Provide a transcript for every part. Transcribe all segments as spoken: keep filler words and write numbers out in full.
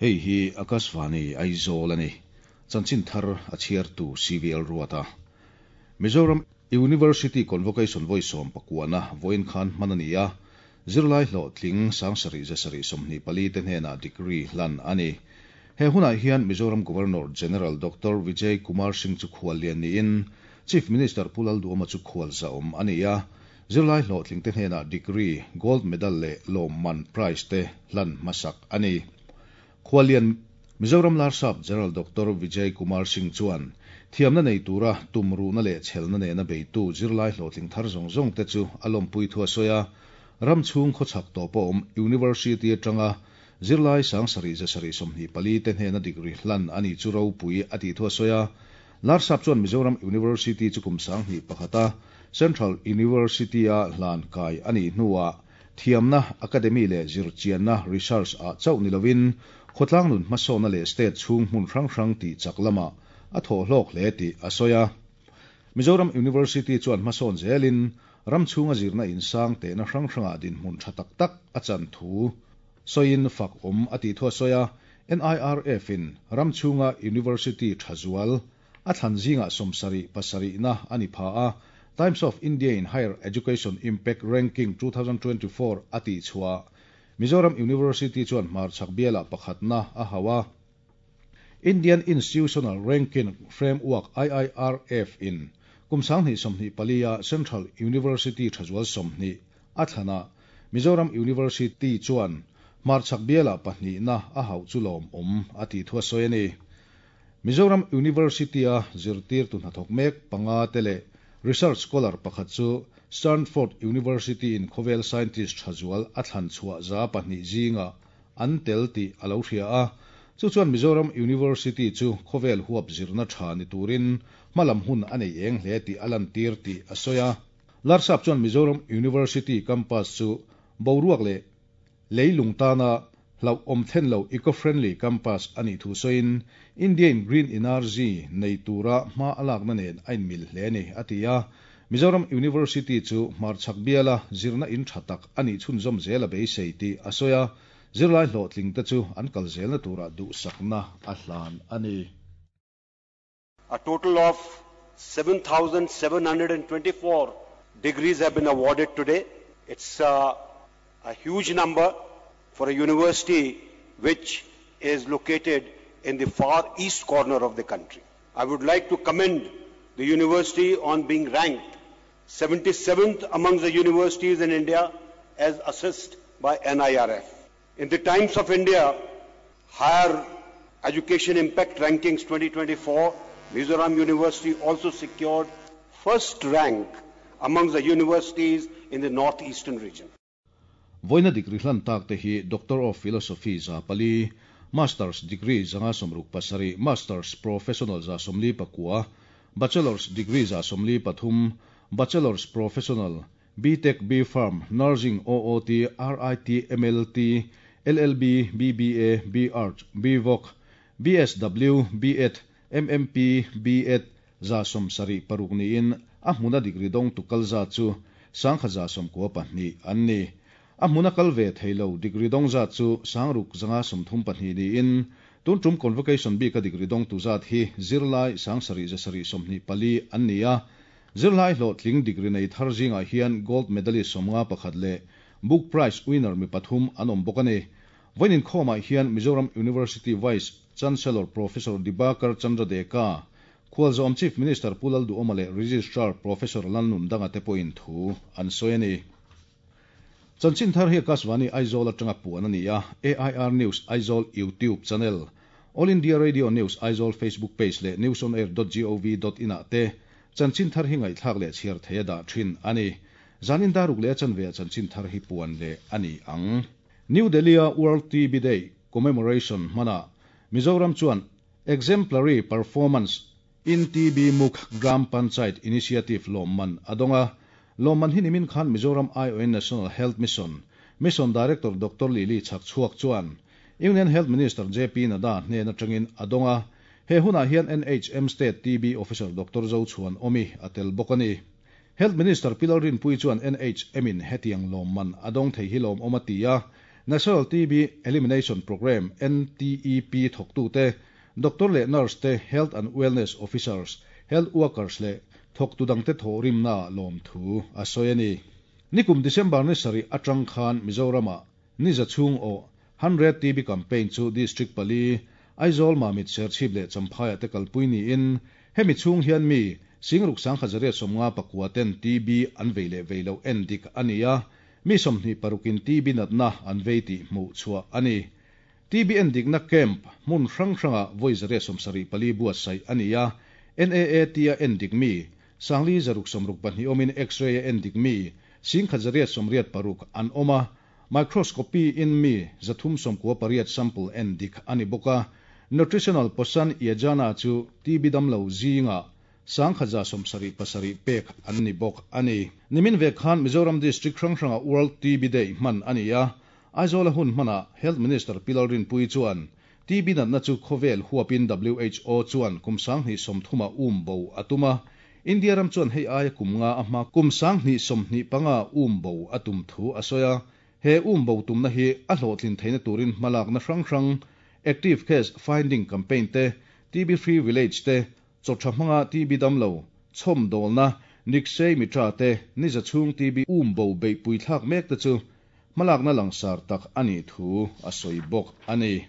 Hei hi Akashvani Aizawl ani. Chanchin thar a chhiartu C V L Ruata. Mizoram University Convocation vawi sawm pakuana vawiin khan hman ani a. Zirlai hlawhtling sangsarih zasarih sawmhnih pali te hnenah degree hlan ani. He hunah hian Mizoram Governor General Doctor Vijay Kumar Singh chu khual lian niin Chief Minister Pu Lalduhoma chu khual za awm ani a. Zirlai hlawhtling te hnenah degree, gold medal leh lawmman prize te hlan hmasak ani. Khualian Mizoram Larsap General Doctor Vijay Kumar Singh chuan thiamna nei tura tumru na leh chelna nena beitu zirlai hlawhtling thar zawng zawng te chu a lawmpui thu a sawi a. Ram chhung khawchhak tawh pawh awm University atanga zirlai sangsarih zasarih sawmhnih pali te hnena degree hlan ani chu ropui a tih thu a sawi a. Larsap chuan Mizoram University chu kum sanghnih pakhata Central University a hlan kai ani hnuah thiamna academy leh zirchianna research a chauh ni lovin khawtlang nun hmasawna leh state chhung hmun hrang hrang tih chak lama a thawh hlawk hle tih a sawi a. Mizoram University chuan hmasawn zelin ram chhunga zirna insang tehna hrang hrangah dinhmun tha tak tak a chan thu sawiin fak awm a tih thu a sawi a. N I R F in ram chhunga University tha zual a thlan zingah sawmsarih pasarihna ani pha a. Times of India in Higher Education Impact Ranking twenty twenty-four a tih chhuah Mizoram University chuan hmarchhak biala pakhatna a hawa. Indian Institutional Ranking Framework I I R F in kumsanghnih sawmhnih palia Central University thazual sawmhnih a thlana Mizoram University chuan hmarchhak biala pahnihna a hauh chu lawm awm a tih thu a sawi ani. Mizoram University a zirtir tu hnathawk mek panga te leh research scholar pakhat chu Stanford University in khawvel scientist thazual a thlan chhuah za pahnih zinga an tel tih a lo hria a. Chu chuan Mizoram University chu khawvel huap zirna tha ni turin hmalam hun a nei eng hle tih a lan tir tih a sawi a. Larsap chuan Mizoram University campus chu boruak leh leilung tana hlau awm thlen lo eco-friendly campus ani thu sawiin Indian Green Energy nei tura hma a lakna nen a inmil hle ni a ti a. Mizoram University chu hmarchhak biala zirna in tha tak ani chhunzawm zel a beisei tih a sawi a. Zirlai hlawhtling te chu an kal zelna tura duhsakna a hlan ani. A total of seven thousand seven hundred twenty-four degrees have been awarded today. It's a, a huge number for a university which is located in the far east corner of the country. I would like to commend the university on being ranked seventy-seventh among the universities in India as assessed by N I R F. In the Times of India Higher Education Impact Rankings twenty twenty-four, Mizoram University also secured first rank among the universities in the northeastern region. Voina degree hlan tak te hi Doctor of Philosophy za pali, Master's degree zanga somruk pasari, Master's Professional za somli pakua, Bachelor's degree za somli pathum, Bachelor's Professional, B Tech, B Farm, Nursing, O O T, R I T, M L T, L L B, B B A, B Arch, B Voc, B S W, B Ed, M M P, B Ed, za somsari paruk ni in a hmuna degree dong tukal za chu sangkha za somkua pahnih an ni. A hmuna kal ve theilo degree dong za chu sangruk zanga somthum pahnih ni in tun tum convocation bi ka degree dong tu zat hi zirlai sangsari zasari somhnih pali an ni a. Zirlai hlawhtling degree nei thar zingah hian gold medalist sawmnga pakhat leh book prize winner mi pathum an awm bawk ani. Vawiin khawmah hian Mizoram University Vice Chancellor Professor Dibakar Chandra Deka, Khualzawm Chief Minister Pu Lalduhoma leh Registrar Professor Lalnundanga te pawhin thu an sawi ani. Chanchin thar hi Akashvani Aizawl atanga puan ani a. A I R News Aizawl YouTube channel, All India Radio News Aizawl Facebook page leh news on air dot gov dot in ah te chanchin thar hi ngaihthlak leh chhiar theia dah thin ani. Zanin daruk leh chanve chanchin thar hi puan leh ani ang. New Delhi a World T B Day commemoration hmana Mizoram chuan exemplary performance in T B Muk Gram Panchayat Initiative lawmman adonga. Lawmman hi nimin khan Mizoram I O N National Health Mission Mission Director Doctor Lily Chhakchhuak chuan Union Health Minister J P Nadda hnen atangin adonga. He hunah hian N H M State T B Officer Doctor Zo Chuan Omi atel bawk ani. Health Minister Pi Lalrinpuii chuan N H M in hetiang lawmman a dawng thei hi lawmawm a ti a. National T B Elimination Programme, N T E P, thawktute, doctor leh nurse te, health and wellness officers, health workers leh thawktu dangte thawhrimna lawm thu a sawi a ni. Nikum December ni sarih atang khan Mizorama ni za chhung o hundred T B campaign chu district pali, Aizawl, Mamit, Serchhip leh Champhai te kalpui niin hemi chhung hian mi singruk sangkhat zariat sawmnga pakua ten T B an vei leh vei lo endik ani a, mi sawmhnih parukin T B natna an vei tih hmuh chhuah ani. T B endikna camp hmun hrang hranga vawi zariat sawmsarih pali buatsaih ani a. N A A T a endik mi sangli zaruk sawmruk pahnih awmin X-ray a endik mi singkhat zariat sawmriat paruk an awma, microscopy in mi zathum sawmkua pariat sample endik ani bawka. Nutritional Poshan Yojana chu T B damlo zinga sangkhaza sawmsarih pasarih pek an ni bawk ani. Nimin ve khan Mizoram district hrang hranga World T B Day hman ani a. Aizawl hun hmana Health Minister Pi Lalrinpuii chuan T B natna chu khawvel huapin W H O chuan kum sanghnih sawmthuma um bo atuma, India ram chuan hei aia kum nga a hma kum sanghnih sawmhnih panga um bo atum thu a sawi a. He um bo tumna hi a hlawhtlin theihna turin hmalakna hrang hrang, active case finding campaign te, T B free village te, chawtha hmanga T B damlo chhawm dawlna Nikshay Mitra te, ni za chhung T B um bo beihpui thlak mek te chu hmalakna langsar tak ani thu a sawi bawk ani.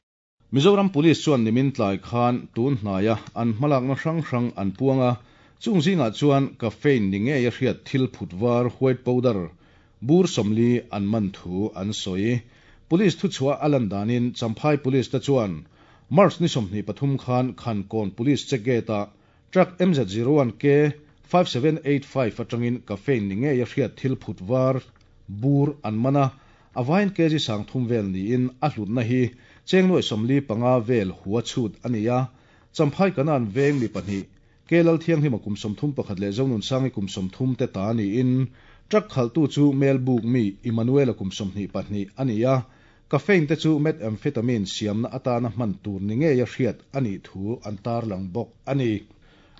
Mizoram Police chuan nimin tlai khan tun hnaia an hmalakna hrang hrang an puanga. Chung zinga chuan caffeine ni nge a hriat thil phutwar, white powder bur somli an man thu an sawi. Police thu chhuah alan danin Champhai Police te chuan March ni sawmhnih pathum khan Khankawn Police check gate a truck M Z zero one K five seven eight five atangin caffeine ni nge a hriat thil phutwar bur an mana. Avain kg sang thum vel ni in a hlutna hi chengnuai somli panga vel huwa chhut ania. Champhai Kanan Veng mi pahnih, kelal thianghlim kum sawmthum pakhat leh Zonun Sangi kum sawmthum te ta ni in truck khaltu chu Melbuk mi Emmanuel kum sawmhnih pahnih ania. Caffeine te chu methamphetamine siamna atana hman tur ni nge a hriat ani thu an tar lang bawk ani.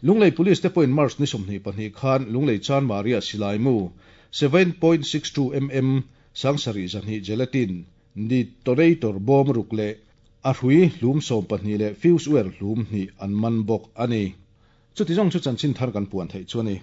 Lunglei Police te point March ni sawmhnih pahnih khan Lunglei Chan Maria silai mu seven point six two millimeter sangsarih zahnih gelatin detonator bawm ruk leh a hrui hlum sawm pahnih leh fuse wire hlum hnih an man bawk ani. Chuti zawng chu chanchin thar kan puan theih chu ani.